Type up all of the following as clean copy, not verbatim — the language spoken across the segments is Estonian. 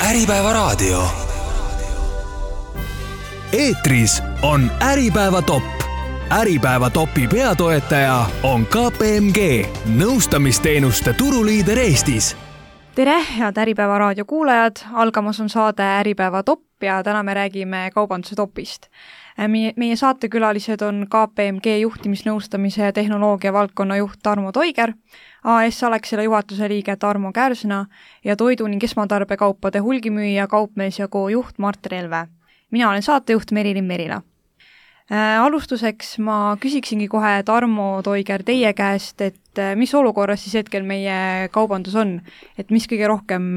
Äripäevaraadio. Eetris on Äripäeva top. Äripäeva topi peatoetaja on KPMG, nõustamisteenuste turuliider Eestis. Tere, head Äripäevaraadio kuulajad! Algamas on saade Äripäeva top ja täna me räägime kaubanduse topist. Meie saatekülalised on KPMG juhtimisnõustamise ja tehnoloogia valdkonna juht Tarmo Toiger, AS Alexela juhatuse liige Tarmo Kärsna ja toidu ning esmatarbekaupade hulgimüüja Kaupmees & Co juht Mart Relve. Mina olen saatejuht Merilin Merila. Alustuseks ma küsiksingi kohe Tarmo Toiger teie käest, et mis olukorras siis hetkel meie kaubandus on, et mis kõige rohkem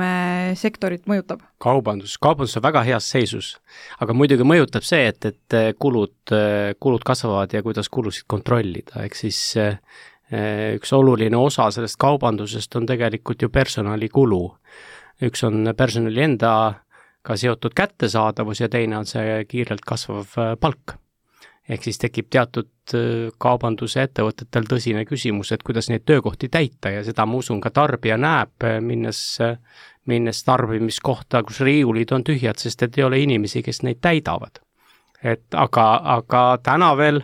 sektorit mõjutab? Kaubandus on väga heas seisus, aga muidugi mõjutab see, et kulud kasvavad ja kuidas kulusid kontrollida, ehk siis üks oluline osa sellest kaubandusest on tegelikult ju personalikulu. Üks on personali endaga seotud kättesaadavus ja teine on see kiirelt kasvav palk. Ehk siis tekib teatud kaubanduse ettevõtetel tõsine küsimus, et kuidas neid töökohti täita ja seda ma usun ka tarbija näeb, minnes tarbimiskohta, kus riiulid on tühjad, sest et ei ole inimesi, kes neid täidavad. Aga täna veel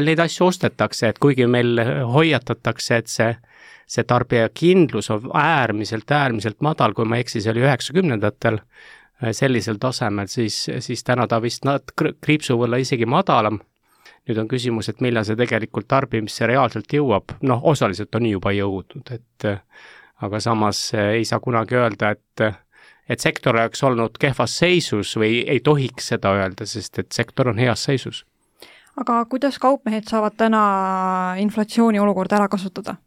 neid asju ostetakse, et kuigi meil hoiatatakse, et see tarbija kindlus on äärmiselt madal, kui ma eksi, see oli 90-ndatel, sellisel tasemel, siis täna ta vist kriipsu võlla isegi madalam. Nüüd on küsimus, et millal see tegelikult tarbimisse reaalselt jõuab. Osaliselt on juba jõudnud, aga samas ei saa kunagi öelda, et sektor oleks olnud kehvas seisus või ei tohiks seda öelda, sest et sektor on heas seisus. Aga kuidas kaupmehed saavad täna inflatsiooni olukorda ära kasutada?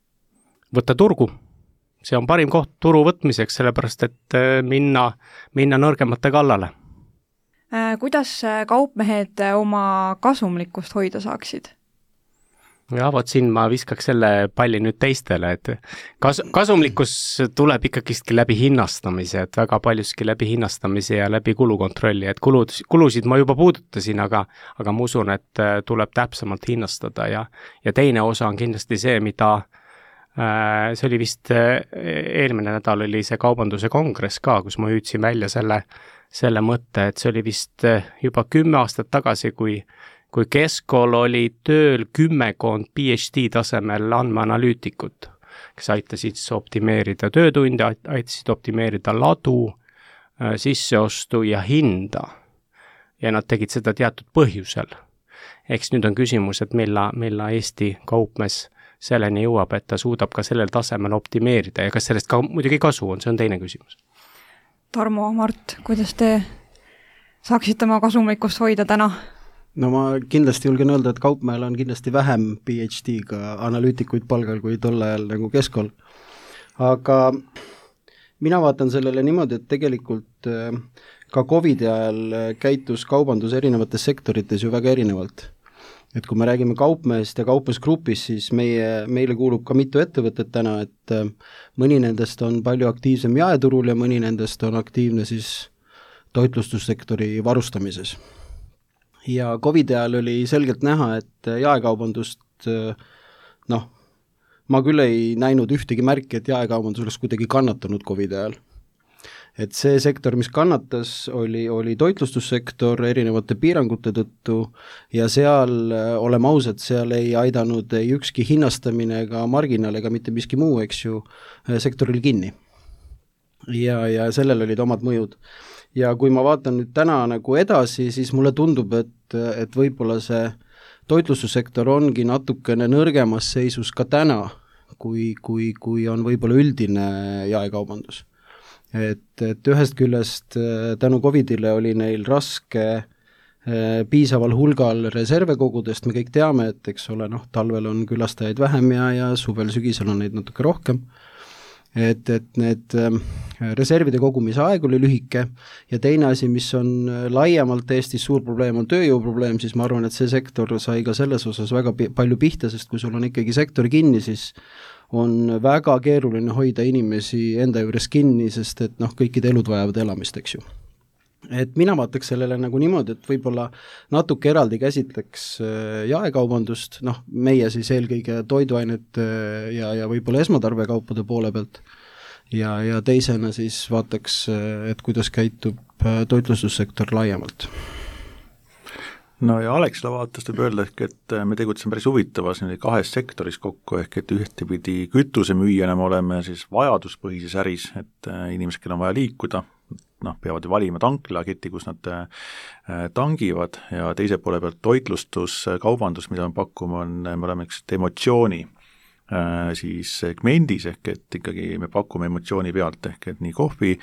Võtta turgu. See on parim koht turu võtmiseks, sellepärast et minna nõrgemate kallale. Kuidas kaupmehed oma kasumlikkust hoida saaksid? Ja vot siin ma viskaks selle palli nüüd teistele, et kasumlikkus tuleb ikkagistki läbi hinnastamise, et väga paljuski läbi hinnastamise ja läbi kulukontrolli, et kulusid ma juba puudutasin, aga ma usun, et tuleb täpsemalt hinnastada ja teine osa on kindlasti see, mida see oli vist eelmine nädal oli see kaubanduse kongress ka, kus ma hüüdsin välja selle mõtte, et see oli vist juba 10 aastat tagasi, kui Keskkool oli tööl 10 PhD tasemel andmeanalüütikut, kes aitasid optimeerida töötunde, aitasid optimeerida ladu, sisseostu ja hinda. Ja nad tegid seda teatud põhjusel. Eks nüüd on küsimus, et milla Eesti kaupmees selleni jõuab, et ta suudab ka sellel tasemel optimeerida ja kas sellest ka muidugi kasu on, see on teine küsimus. Tarmo, Mart, kuidas te saaksite oma kasumlikkust hoida täna? No ma kindlasti julgen öelda, et Kaupmehel on kindlasti vähem PhD-ga analüütikuid palgal kui tol ajal nagu Keskkool. Aga mina vaatan sellele niimoodi, et tegelikult ka COVID ajal käitus kaubandus erinevates sektorites ju väga erinevalt. Et kui me räägime Kaupmehest ja Kaupmeesgrupist, siis meile kuulub ka mitu ettevõtet täna, et mõni nendest on palju aktiivsem jaeturul ja mõni nendest on aktiivne siis toitlustussektori varustamises. Ja COVID ajal oli selgelt näha, et jaekaubandust, ma küll ei näinud ühtegi märki, et jaekaubandus oleks kuidagi kannatanud COVID ajal. Et see sektor, mis kannatas, oli toitlustussektor erinevate piirangute tõttu ja seal, oleme ausad, seal ei aidanud ei ükski hinnastamine ega marginaal ega mitte miski muu, eks ju, sektoril kinni. Ja sellel olid omad mõjud. Ja kui ma vaatan nüüd täna nagu edasi, siis mulle tundub, et võib-olla see toitlustussektor ongi natukene nõrgemas seisus ka täna, kui on võib-olla üldine jaekaubandus. Et ühest küljest tänu COVIDile oli neil raske piisaval hulgal reserve kogudest, me kõik teame, et eks ole, talvel on külastajaid vähem ja suvel-sügisel on neid natuke rohkem. Et need reservide kogumise aeg oli lühike ja teine asi, mis on laiemalt Eestis suur probleem, on tööjõuprobleem, siis ma arvan, et see sektor sai ka selles osas väga palju pihta, sest kui sul on ikkagi sektor kinni, siis on väga keeruline hoida inimesi enda juures kinni, sest et kõikide elud vajavad elamist, eks ju. Et mina vaataks sellele nagu niimoodi, et võib-olla natuke eraldi käsitleks jaekaubandust, meie siis eelkõige toiduainet ja võib-olla esmatarbekaupade poole pealt ja teisena siis vaataks, et kuidas käitub toitlustussektor laiemalt. No ja Alexela vaatest võib öelda ehk, et me tegutseme päris huvitavas kahes sektoris kokku, ehk et ühtepidi kütusemüüjana me oleme siis vajaduspõhises äris, et inimesed, kellel on vaja liikuda, peavad ju valima tanklaketi, kus nad tangivad, ja teise poole pealt toitlustus, kaubandus, mida me pakume, me oleme üks emotsiooni siis segmendis, ehk et ikkagi me pakume emotsiooni pealt, ehk et nii kohvi,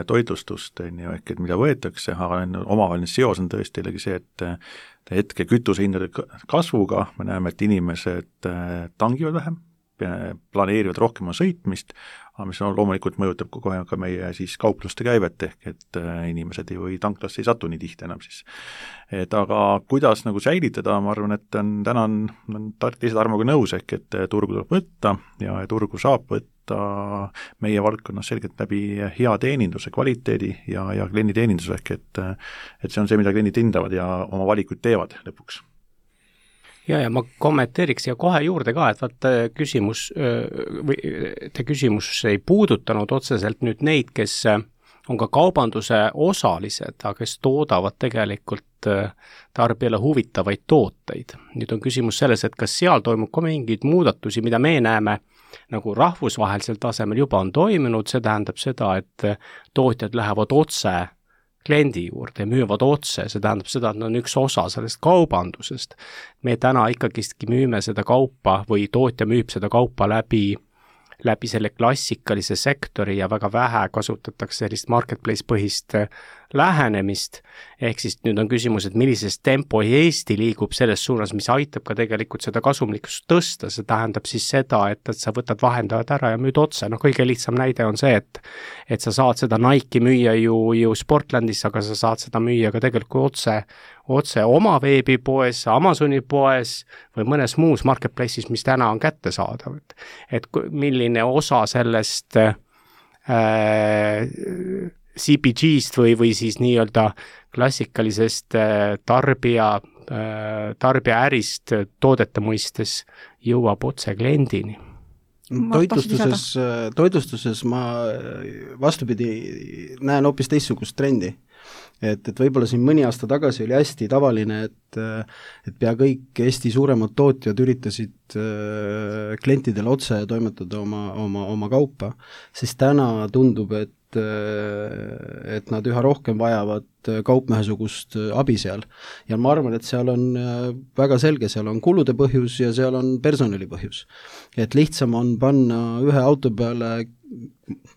toitlustust, ehk et mida võetakse, aga omavaheline seos on tõesti jällegi see, et hetke kütusehindade kasvuga me näeme, et inimesed tangivad vähem, planeerivad rohkem sõitmist, aga mis loomulikult mõjutab kogu aeg ka meie siis kaupluste käivet, ehk et inimesed või tanklasse ei satu nii tihti enam siis. Et aga kuidas nagu säilitada, ma arvan, et täna on teised armuga nõus, ehk et turgu tuleb võtta ja turgu saab võtta meie valdkonnas selgelt läbi hea teeninduse kvaliteedi ja klienditeeninduse, ehk et see on see, mida kliendid hindavad ja oma valikuid teevad lõpuks. Ja ma kommenteeriks ja kohe juurde ka, et vaata küsimus ei puudutanud otseselt nüüd neid, kes on ka kaubanduse osalised, aga kes toodavad tegelikult tarbijale huvitavaid tooteid. Nüüd on küsimus selles, et kas seal toimub ka mingeid muudatusi, mida me näeme nagu rahvusvahelisel tasemel juba on toimunud, see tähendab seda, et tootjad lähevad otse kliendi juurde ja müüvad otse, see tähendab seda, et on üks osa sellest kaubandusest. Me täna ikkagistki müüme seda kaupa või tootja müüb seda kaupa läbi selle klassikalise sektori ja väga vähe kasutatakse sellist marketplace põhist lähenemist, ehk siis nüüd on küsimus, et millises tempo Eesti liigub selles suunas, mis aitab ka tegelikult seda kasumlikkust tõsta, see tähendab siis seda, et sa võtad vahendajad ära ja müüd otse, kõige lihtsam näide on see, et sa saad seda Nike'i müüa ju Sportlandis, aga sa saad seda müüa ka tegelikult otse oma veebipoes, Amazoni poes või mõnes muus marketplace'is, mis täna on kättesaadav, et milline osa sellest CPG-st või siis nii-öelda klassikalisest tarbija ärist toodete mõistes jõuab otse kliendini. Toitlustuses ma vastupidi näen hoopis teistsugust trendi. Et võib-olla siin mõni aasta tagasi oli hästi tavaline, et pea kõik Eesti suuremad tootjad üritasid klientidele otse toimetada oma kaupa, siis täna tundub, et nad üha rohkem vajavad kaupmehesugust abi seal. Ja ma arvan, et seal on väga selge, seal on kulude põhjus ja seal on personali põhjus. Et lihtsam on panna ühe auto peale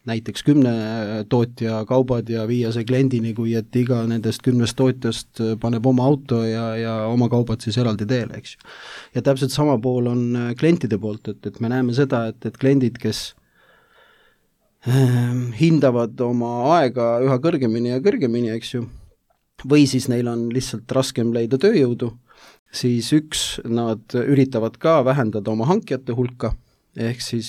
näiteks 10 tootja kaubad ja viia see kliendini, kui et iga nendest 10 tootjast paneb oma auto ja oma kaubad siis eraldi teele, eks ju. Ja täpselt sama pool on klientide poolt, et me näeme seda, et kliendid, kes hindavad oma aega üha kõrgemini ja kõrgemini, eks ju, või siis neil on lihtsalt raskem leida tööjõudu, siis nad üritavad ka vähendada oma hankijate hulka, ehk siis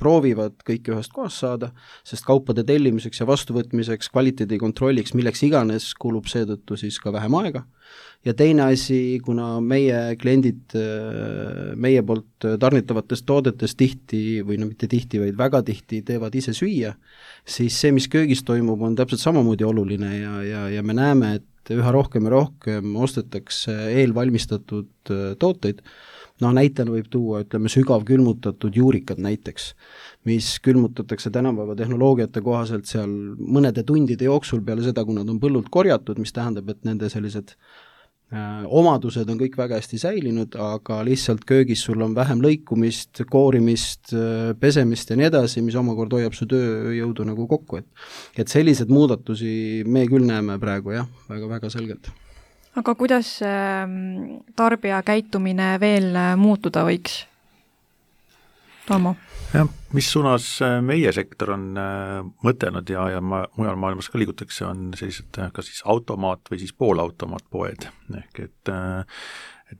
proovivad kõike ühest kohast saada, sest kaupade tellimiseks ja vastuvõtmiseks, kvaliteedikontrolliks, milleks iganes kulub seetõttu siis ka vähem aega. Ja teine asi, kuna meie kliendid meie poolt tarnitavatest toodetest tihti, või mitte tihti, vaid väga tihti teevad ise süüa, siis see, mis köögis toimub, on täpselt samamoodi oluline ja me näeme, et üha rohkem ja rohkem ostetakse eelvalmistatud tooteid. Näitena võib tuua, sügav külmutatud juurikad näiteks, mis külmutatakse tänapäeva tehnoloogiate kohaselt seal mõnede tundide jooksul peale seda, kui nad on põllult korjatud, mis tähendab, et nende sellised omadused on kõik väga hästi säilinud, aga lihtsalt köögis sul on vähem lõikumist, koorimist, pesemist ja nii edasi, mis omakorda hoiab su tööjõudu nagu kokku. Et sellised muudatusi me küll näeme praegu väga selgelt. Aga kuidas tarbija käitumine veel muutuda võiks? Tomo? Mis suunas meie sektor on mõtelnud ja mujal maailmas ka liigutakse, on sellised ka siis automaat või siis poolautomaatpoed. Ehk et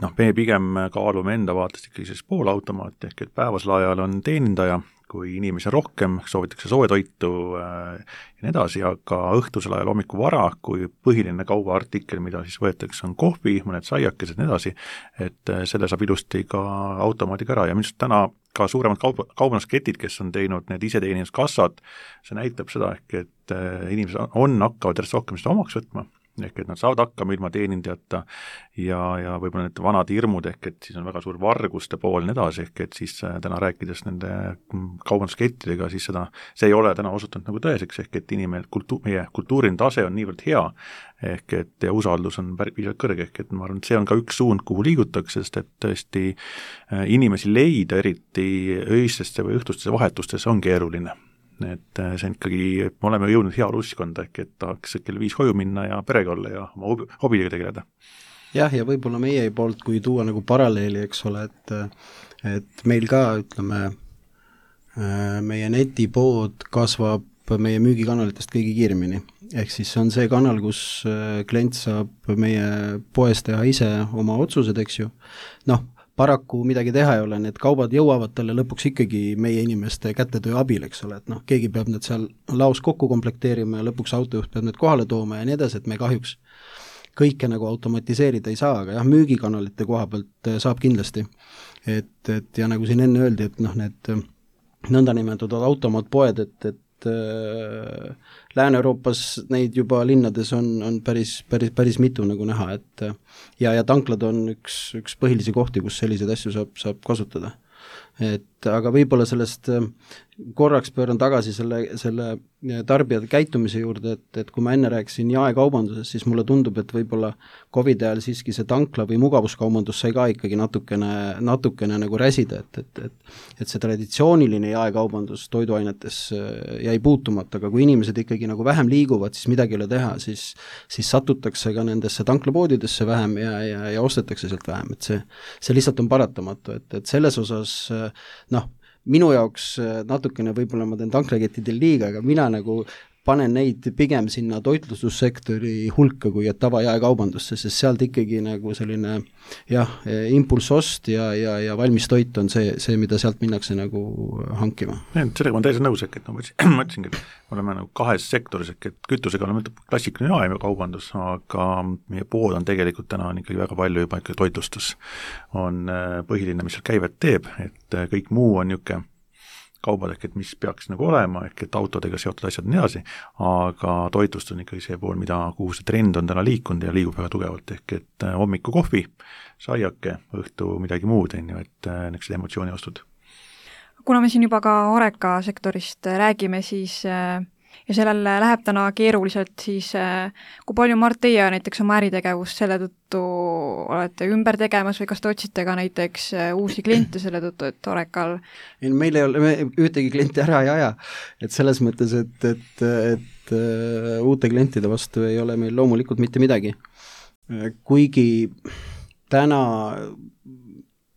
me pigem kaalume enda vaatest ikkagi siis poolautomaat, ehk et päevasel ajal on teenindaja, kui inimesi on rohkem, soovitakse soojatoitu ja nii edasi, aga õhtusel ajal hommiku vara, kui põhiline kaubaartikkel, mida siis võetakse, on kohvi, mõned saiakesed ja nii edasi, et selle saab ilusti ka automaadiga ära ja minu arust täna ka suuremad kaubandusketid, kes on teinud need iseteeninduskassad, see näitab seda ehk, et inimesed hakkavad järjest rohkem seda omaks võtma, ehk et nad saavad hakkama ilma teenindajata ja võib-olla need vanad hirmud, ehk et siis on väga suur varguste pool nii edasi, ehk et siis täna rääkides nende kaubanduskettidega, siis see ei ole täna osutunud nagu tõeseks, ehk et meie kultuuriline tase on niivõrd hea, ehk et ja usaldus on piisavalt kõrge, ehk et ma arvan, et see on ka üks suund, kuhu liigutakse, sest et tõesti inimesi leida, eriti öistesse või õhtustesse vahetustesse on keeruline. Et see on ikkagi, me oleme jõudnud heaoluuskonda, ehk et tahaks kell 5 koju minna ja perega olla ja oma hobiga tegeleda. Jah, ja võib-olla meie poolt, kui tuua nagu paralleeli, eks ole, et meil ka, ütleme, meie netipood kasvab meie müügikanalitest kõige kiiremini. Ehk siis see on see kanal, kus klient saab meie poes teha ise oma otsused, eks ju. Paraku midagi teha ei ole, need kaubad jõuavad talle lõpuks ikkagi meie inimeste kätetöö abil, eks ole, et keegi peab need seal laos kokku komplekteerima ja lõpuks autojuht peab need kohale tooma ja nii edasi, et me kahjuks kõike nagu automatiseerida ei saa, aga jah, müügikanalite koha pealt saab kindlasti. Et ja nagu siin enne öeldi, et need nõndanimetatud automaatpoed, et Lääne-Euroopas neid juba linnades on päris mitu nagu näha, et ja tanklad on üks põhilisi kohti, kus selliseid asju saab kasutada. Aga võib-olla sellest korraks pööran tagasi selle tarbijate käitumise juurde, et kui ma enne rääkisin jaekaubanduses, siis mulle tundub, et võib-olla COVID ajal siiski see tankla või mugavuskaubandus sai ka ikkagi natukene nagu räsida, et see traditsiooniline jaekaubandus toiduainetes jäi puutumata, aga kui inimesed ikkagi nagu vähem liiguvad, siis midagi ei ole teha, siis satutakse ka nendesse tanklapoodidesse vähem ja ostetakse sealt vähem, et see lihtsalt on paratamatu, et selles osas minu jaoks natukene võib-olla ma teen tanklakettidel liiga, aga mina nagu panen neid pigem sinna toitlustussektori hulka kui tavajaekaubandusse, sest sealt ikkagi nagu selline impulssost ja valmis toit on see, mida sealt minnakse nagu hankima. Sellega ma täiesti nõus, et ma ütlesingi, et oleme nagu kahes sektoris, et kütusega oleme klassikaline jaekaubandus, aga meie pood on tegelikult täna on ikkagi väga palju juba ikkagi toitlustus. On põhiline, mis seal käivet teeb, et kõik muu on niisugune kaubad, et mis peaks nagu olema, et autodega seotud asjad nii edasi, aga toitlust on ikkagi see pool, kuhu see trend on täna liikunud ja liigub väga tugevalt, et hommiku kohvi, saiake, õhtu midagi muud, et need emotsiooniostud. Kuna me siin juba ka Horeca sektorist räägime, siis ja sellel läheb täna keeruliselt, siis kui palju, Mart, teie näiteks oma äritegevust selle tõttu olete ümber tegemas või kas te otsite ka näiteks uusi kliente selle tõttu, et Horecal meil ei ole, me ühtegi klienti ära ei aja, et selles mõttes, et uute klientide vastu ei ole meil loomulikult mitte midagi. Kuigi täna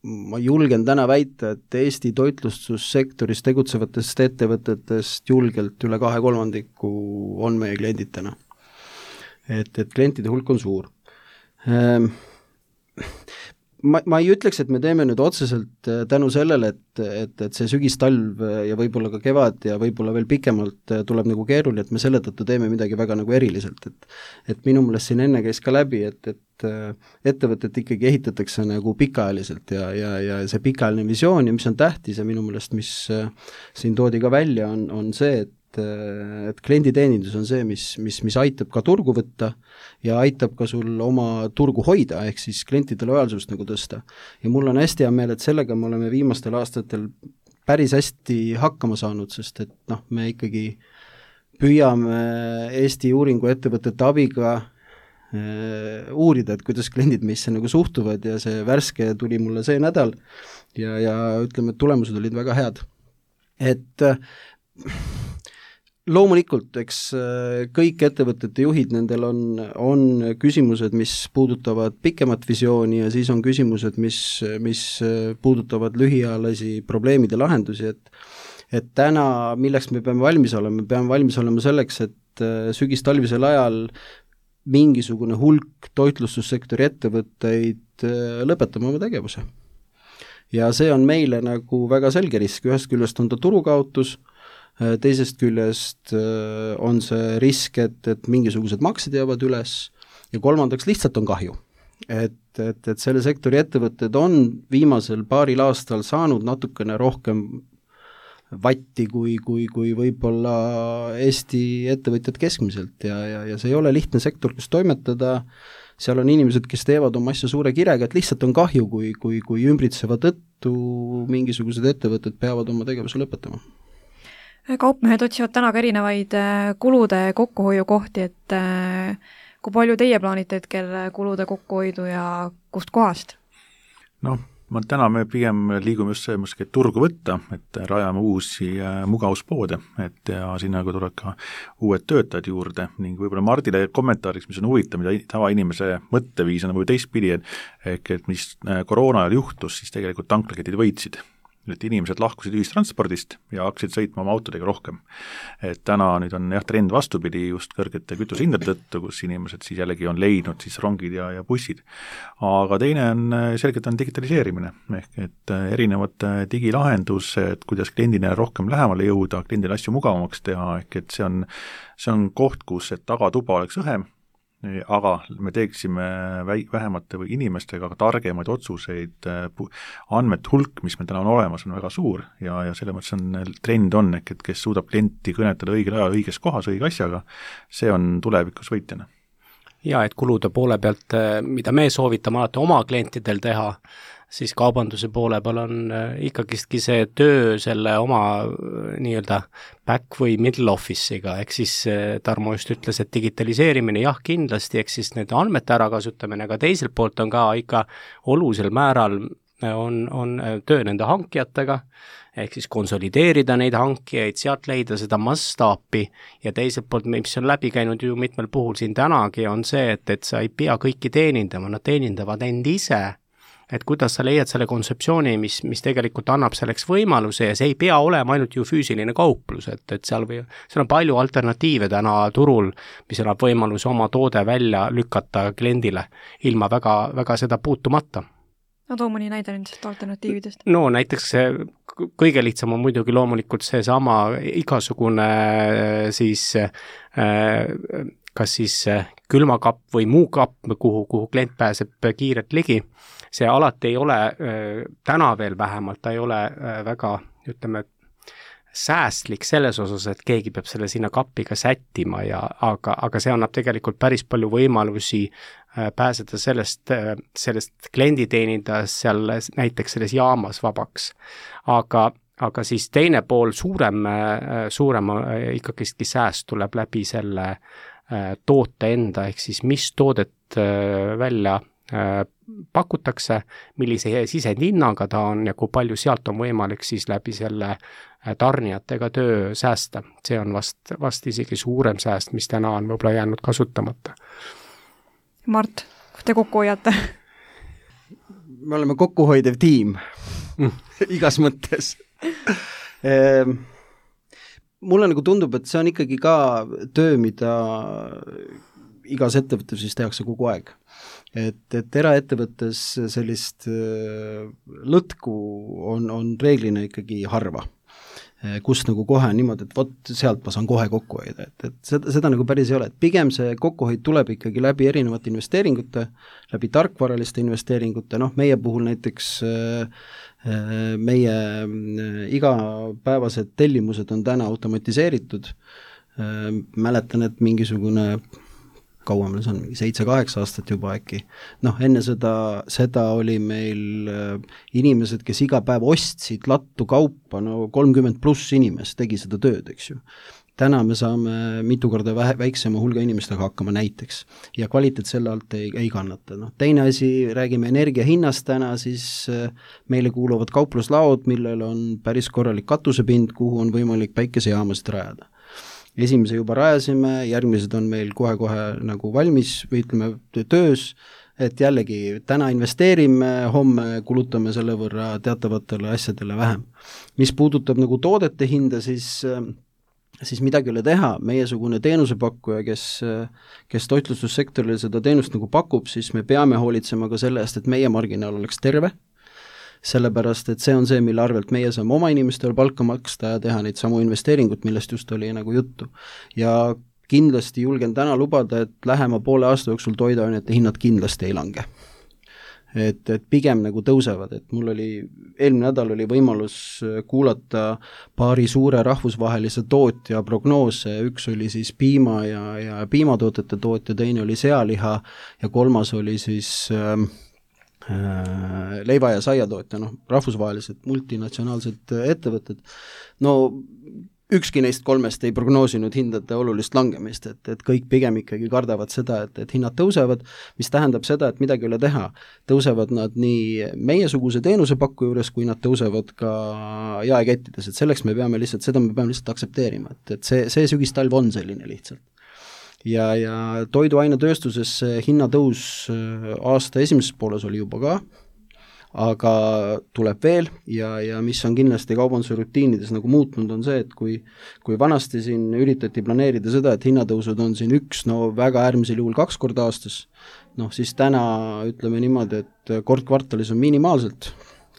ma julgen täna väita, et Eesti toitlustussektoris tegutsevatest ettevõtetest julgelt üle 2/3 on meie kliendid täna. Et klientide hulk on suur. Ma ei ütleks, et me teeme nüüd otseselt tänu sellele, et see sügistalv ja võib-olla ka kevad ja võib-olla veel pikemalt tuleb nagu keeruline, et me selle tõttu teeme midagi väga nagu eriliselt, et minu meelest siin enne käis ka läbi, et ettevõtet ikkagi ehitatakse nagu pikaajaliselt ja see pikaajaline visioon ja mis on tähtis ja minu meelest, mis siin toodi ka välja, on see, et klienditeenindus on see, mis aitab ka turgu võtta ja aitab ka sul oma turgu hoida, ehk siis klientide lojaalsust nagu tõsta. Ja mul on hästi hea meel, et sellega me oleme viimastel aastatel päris hästi hakkama saanud, sest et me ikkagi püüame Eesti uuringuettevõtete abiga uurida, et kuidas kliendid meisse nagu suhtuvad ja see värske tuli mulle see nädal ja ütleme, et tulemused olid väga head. Et loomulikult, eks kõik ettevõtete juhid, nendel on küsimused, mis puudutavad pikemat visiooni ja siis on küsimused, mis puudutavad lühiajalisi probleemide lahendusi, et täna, milleks me peame valmis olema selleks, et sügistalvisel ajal mingisugune hulk toitlustussektori ettevõtteid lõpetama oma tegevuse. ja see on meile nagu väga selge risk, ühest küljest on ta turukaotus, teisest küljest on see risk, et mingisugused maksed jäävad üles ja kolmandaks lihtsalt on kahju. Et selle sektori ettevõtted on viimasel paaril aastal saanud natukene rohkem vatti kui võib-olla Eesti ettevõtjad keskmiselt ja see ei ole lihtne sektor, kus toimetada, seal on inimesed, kes teevad oma asja suure kirega, et lihtsalt on kahju, kui ümbritseva tõttu mingisugused ettevõtted peavad oma tegevuse lõpetama. Kaupmehed otsivad täna ka erinevaid kulude kokkuhoiukohti, et kui palju teie plaanite hetkel kulude kokkuhoidu ja kust kohast? Täna me pigem liigume just see turgu võtta, et rajame uusi mugavuspoode, ja sinna tuleb ka uued töötajad juurde ning võib-olla Mardile kommentaariks, mis on huvitav, mida tavainimese mõtteviis on või teistpidi, et mis koroona ajal juhtus, siis tegelikult tanklaketid võitsid. Et inimesed lahkusid ühistranspordist ja hakkasid sõitma oma autodega rohkem. Et täna nüüd on trend vastupidi just kõrgete kütusehindade tõttu, kus inimesed siis jällegi on leidnud siis rongid ja bussid. Aga teine on selgelt on digitaliseerimine, ehk et erinevad digilahendused, kuidas kliendile rohkem lähemale jõuda, kliendile asju mugavamaks teha, ehk et see on koht, kus tagatuba oleks õhem, aga me teeksime vähemate või inimestega ka targemaid otsuseid, andmete hulk, mis meil täna on olemas, on väga suur ja selle mõttes on trend on, et kes suudab klienti kõnetada õigel ajal õiges kohas õige asjaga, see on tulevikus võitjana. Ja et kulude poole pealt, mida me soovitame alati oma klientidel teha, siis kaubanduse poole peal on ikkagistki see töö selle oma nii-öelda back või middle office'iga, ehk siis Tarmo just ütles, et digitaliseerimine jah, kindlasti, ehk siis need andmete ärakasutamine, aga teiselt poolt on ka ikka olulisel määral on töö nende hankijatega, ehk siis konsolideerida neid hankijaid, sealt leida seda mastaapi ja teiselt poolt, mis on läbi käinud ju mitmel puhul siin tänagi, on see, et sa ei pea kõiki teenindama, nad teenindavad end ise, et kuidas sa leiad selle kontseptsiooni, mis tegelikult annab selleks võimaluse ja see ei pea olema ainult ju füüsiline kauplus, et seal on palju alternatiive täna turul, mis annab võimaluse oma toode välja lükata kliendile ilma väga seda puutumata. Too mõni näide nendest alternatiividest. No näiteks kõige lihtsam on muidugi loomulikult seesama igasugune siis kas siis külmakapp või muu kapp, kuhu klient pääseb kiirelt ligi. See alati ei ole, täna veel vähemalt, ta ei ole väga, ütleme, säästlik selles osas, et keegi peab selle sinna kappiga sättima, aga see annab tegelikult päris palju võimalusi pääseda sellest kliendi teenindas seal näiteks selles jaamas vabaks. Aga siis teine pool suurem ikkagi sääst tuleb läbi selle toote enda, ehk siis mis toodet välja pakutakse, millise sisendhinnaga ta on ja kui palju sealt on võimalik siis läbi selle tarnijatega töö säästa. See on vast isegi suurem sääst, mis täna on võib-olla jäänud kasutamata. Mart, kus te kokku hoiate? Me oleme kokkuhoidev tiim igas mõttes. Mulle nagu tundub, et see on ikkagi ka töö, mida igas ettevõttes siis tehakse kogu aeg. Et eraettevõttes sellist lõtku on reeglina ikkagi harva, kus nagu kohe niimoodi, et vot sealt ma saan kohe kokku hoida, et seda nagu päris ei ole, et pigem see kokkuhoid tuleb ikkagi läbi erinevate investeeringute, läbi tarkvaraliste investeeringute, meie puhul näiteks meie igapäevased tellimused on täna automatiseeritud, mäletan, et mingisugune kaua meil see on, 7-8 aastat juba äkki. Enne seda oli meil inimesed, kes iga päev ostsid lattu kaupa, 30+ inimest tegi seda tööd, eks ju. Täna me saame mitu korda väiksema hulga inimestega hakkama näiteks ja kvaliteet selle alt ei kannata. Teine asi, räägime energia hinnast täna, siis meile kuuluvad kaupluslaod, millel on päris korralik katusepind, kuhu on võimalik päikesejaamasid rajada. Esimese juba rajasime, järgmised on meil kohe nagu valmis või ütleme töös, et jällegi täna investeerime, homme kulutame selle võrra teatavatele asjadele vähem. Mis puudutab nagu toodete hinda, siis midagi ei ole teha, meiesugune teenusepakkuja, kes toitlustussektorile seda teenust nagu pakub, siis me peame hoolitsema ka selle eest, et meie marginaal oleks terve. sellepärast et see on see, mille arvelt meie saame oma inimestele palka maksta ja teha neid samu investeeringut, millest just oli nagu juttu. Ja kindlasti julgen täna lubada, et lähema poole aasta jooksul toiduainete hinnad kindlasti ei lange. Et pigem nagu tõusevad, et mul oli eelmine nädal oli võimalus kuulata paari suure rahvusvahelise tootja prognoose, üks oli siis piima ja piimatootete tootja, teine oli sealiha ja kolmas oli siis leiva- ja saiatootja, rahvusvahelised multinatsionaalsed ettevõtted. Ükski neist kolmest ei prognoosinud hindade olulist langemist, et kõik pigem ikkagi kardavad seda, et hinnad tõusevad, mis tähendab seda, et midagi ei ole teha. Tõusevad nad nii meiesuguse teenusepakku juures, kui nad tõusevad ka jaekettides, et selleks me peame lihtsalt aktsepteerima, et see sügistalv on selline lihtsalt. Ja toiduainetööstuses hinnatõus aasta esimeses pooles oli juba ka, aga tuleb veel ja mis on kindlasti kaubanduse rutiinides nagu muutnud, on see, et kui vanasti siin üritati planeerida seda, et hinnatõusud on siin väga äärmisel juhul 2 korda aastas, siis täna ütleme niimoodi, et kord kvartalis on minimaalselt,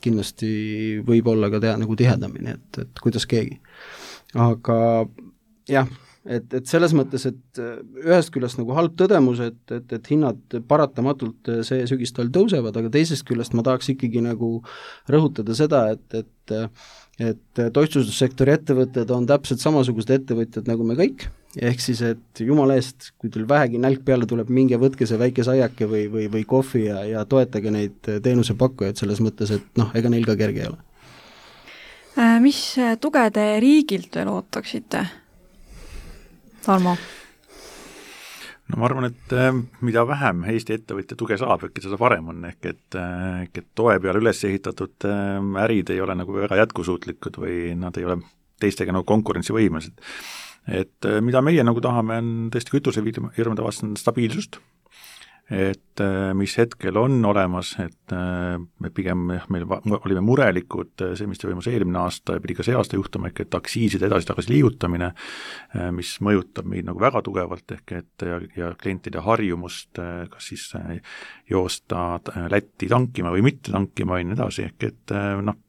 kindlasti võib olla ka nagu tihedamini, et kuidas keegi. Aga jah, et selles mõttes, et ühest küljest nagu halb tõdemus, et hinnad paratamatult see sügistal tõusevad, aga teisest küljest ma tahaks ikkagi nagu rõhutada seda, et toitlustussektori ettevõtted on täpselt samasugused ettevõtjad nagu me kõik, ehk siis, et jumala eest, kui teil vähegi nälg peale tuleb, minge võtke see väike saiake või kohvi ja toetage neid teenusepakkujaid selles mõttes, et ega neil ka kerge ei ole. Mis tuge te riigilt veel ootaksite? Tarmo? Ma arvan, et mida vähem Eesti ettevõtja tuge saab, seda parem on, ehk et toe peale üles ehitatud ärid ei ole nagu väga jätkusuutlikud või nad ei ole teistega nagu konkurentsivõimelised. Et mida meie nagu tahame, on tõesti kütusefirmade vastu stabiilsust, et mis hetkel on olemas, et me pigem meil olime murelikud, see, mis toimus eelmine aasta ja pidi ka see aasta juhtuma, ehk et aktsiiside edasi-tagasi liigutamine, mis mõjutab meid nagu väga tugevalt, ehk et ja klientide harjumust, kas siis joosta Lätti tankima või mitte tankima ja nii edasi, ehk et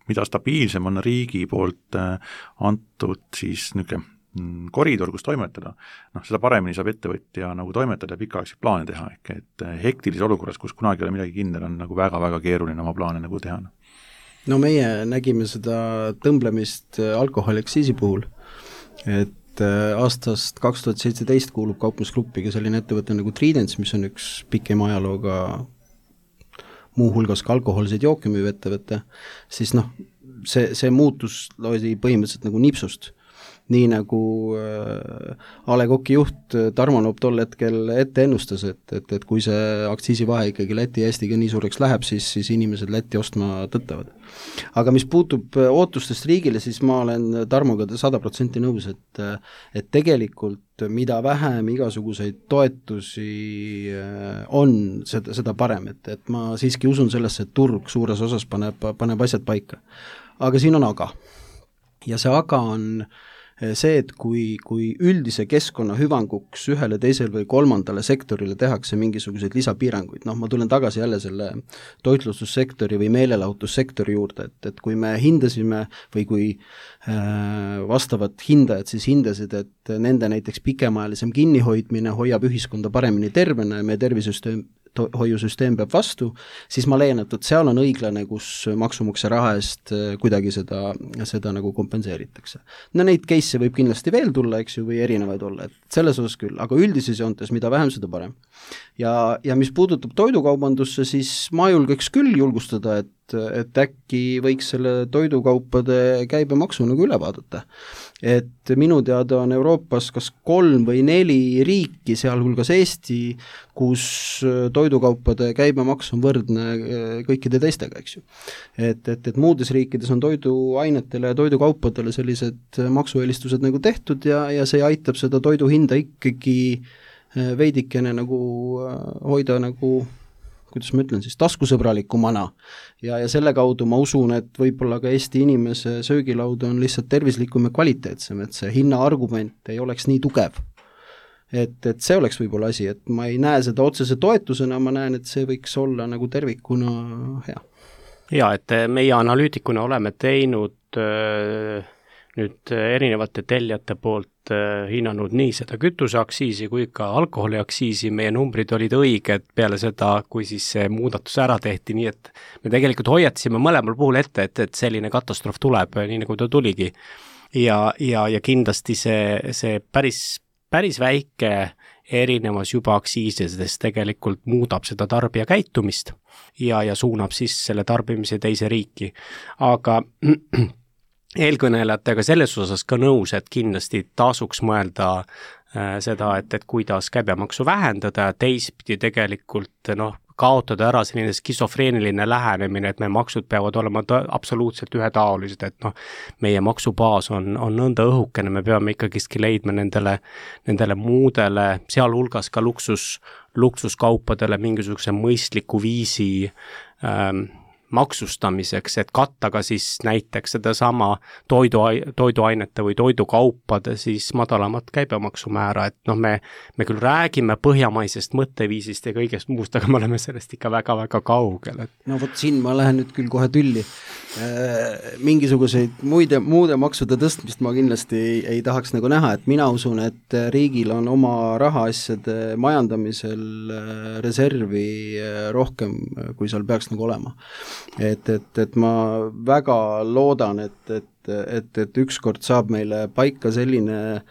mida stabiilsem on riigi poolt antud siis niisugune koridor, kus toimetada, seda paremini saab ettevõtja nagu toimetada ja pikaaegseid plaane teha, ehk et hektilises olukorras, kus kunagi ei ole midagi kindel, on nagu väga-väga keeruline oma plaane nagu teha. Meie nägime seda tõmblemist alkoholiaktsiisi puhul, et aastast 2017 kuulub kauplusgruppiga selline ettevõte nagu Tridents, mis on üks pikem ajalooga muuhulgas ka alkohoolseid jooke müüv ettevõte, siis see muutus oli põhimõtteliselt nagu nipsust. Nii nagu A. Le Coq'i juht Tarmo Noop tol hetkel ette ennustas, et kui see aktsiisivahe ikkagi Läti ja Eestiga nii suureks läheb, siis inimesed Läti ostma tõttavad. Aga mis puutub ootustest riigile, siis ma olen Tarmoga 100% nõus, et tegelikult mida vähem igasuguseid toetusi on, seda parem, et ma siiski usun sellesse, et turg suures osas paneb asjad paika. Aga siin on aga. Ja see aga on see, et kui üldise keskkonna hüvanguks ühele, teisele või kolmandale sektorile tehakse mingisuguseid lisapiiranguid, ma tulen tagasi jälle selle toitlustussektori või meelelahutussektori juurde, et kui me hindasime või kui vastavad hindajad siis hindasid, et nende näiteks pikemaajalisem kinnihoidmine hoiab ühiskonda paremini tervena ja meie hoiusüsteem peab vastu, siis ma leian, et seal on õiglane, kus maksumaksja raha eest kuidagi seda nagu kompenseeritakse. Neid case'e võib kindlasti veel tulla, eks ju, või erinevaid olla, et selles osas küll, aga üldises joontes, mida vähem, seda parem. Ja mis puudutab toidukaubandusse, siis ma julgeks küll julgustada, et äkki võiks selle toidukaupade käibemaksu nagu üle vaadata. Et minu teada on Euroopas kas 3 või 4 riiki, sealhulgas Eesti, kus toidukaupade käibemaks on võrdne kõikide teistega, eks ju. Et muudes riikides on toiduainetele ja toidukaupadele sellised maksueelistused nagu tehtud ja see aitab seda toidu hinda ikkagi veidikene nagu hoida nagu, kuidas ma ütlen siis, taskusõbralikumana ja selle kaudu ma usun, et võib-olla ka Eesti inimese söögilaud on lihtsalt tervislikum ja kvaliteetsem, et see hinnaargument ei oleks nii tugev. Et see oleks võib-olla asi, et ma ei näe seda otsese toetusena, ma näen, et see võiks olla nagu tervikuna hea. ja et meie analüütikuna oleme teinud nüüd erinevate tellijate poolt hinnanud nii seda kütuseaktsiisi kui ka alkoholiaktsiisi, meie numbrid olid õiged peale seda, kui siis see muudatus ära tehti, nii et me tegelikult hoiatasime mõlemal puhul ette, et selline katastroof tuleb, nii nagu ta tuligi. Ja kindlasti see päris väike erinevus juba aktsiisidest tegelikult muudab seda tarbija käitumist ja suunab siis selle tarbimise teise riiki. Aga eelkõnelejatega selles osas ka nõus, et kindlasti tasuks mõelda seda, et kuidas käibemaksu vähendada ja teistpidi tegelikult kaotada ära selline skisofreeniline lähenemine, et meie maksud peavad olema absoluutselt ühetaolised, et meie maksubaas on nõnda õhukene, me peame ikkagiski leidma nendele muudele, sealhulgas ka luksuskaupadele mingisuguse mõistliku viisi maksustamiseks, et katta ka siis näiteks sedasama toiduainete või toidukaupade siis madalamat käibemaksumäära, et me küll räägime põhjamaisest mõtteviisist ja kõigest muust, aga me oleme sellest ikka väga-väga kaugel. No vot siin ma lähen nüüd küll kohe tülli. Mingisuguseid muude maksude tõstmist ma kindlasti ei tahaks nagu näha, et mina usun, et riigil on oma rahaasjade majandamisel reservi rohkem, kui seal peaks nagu olema. Et ma väga loodan, et ükskord saab meile paika selline,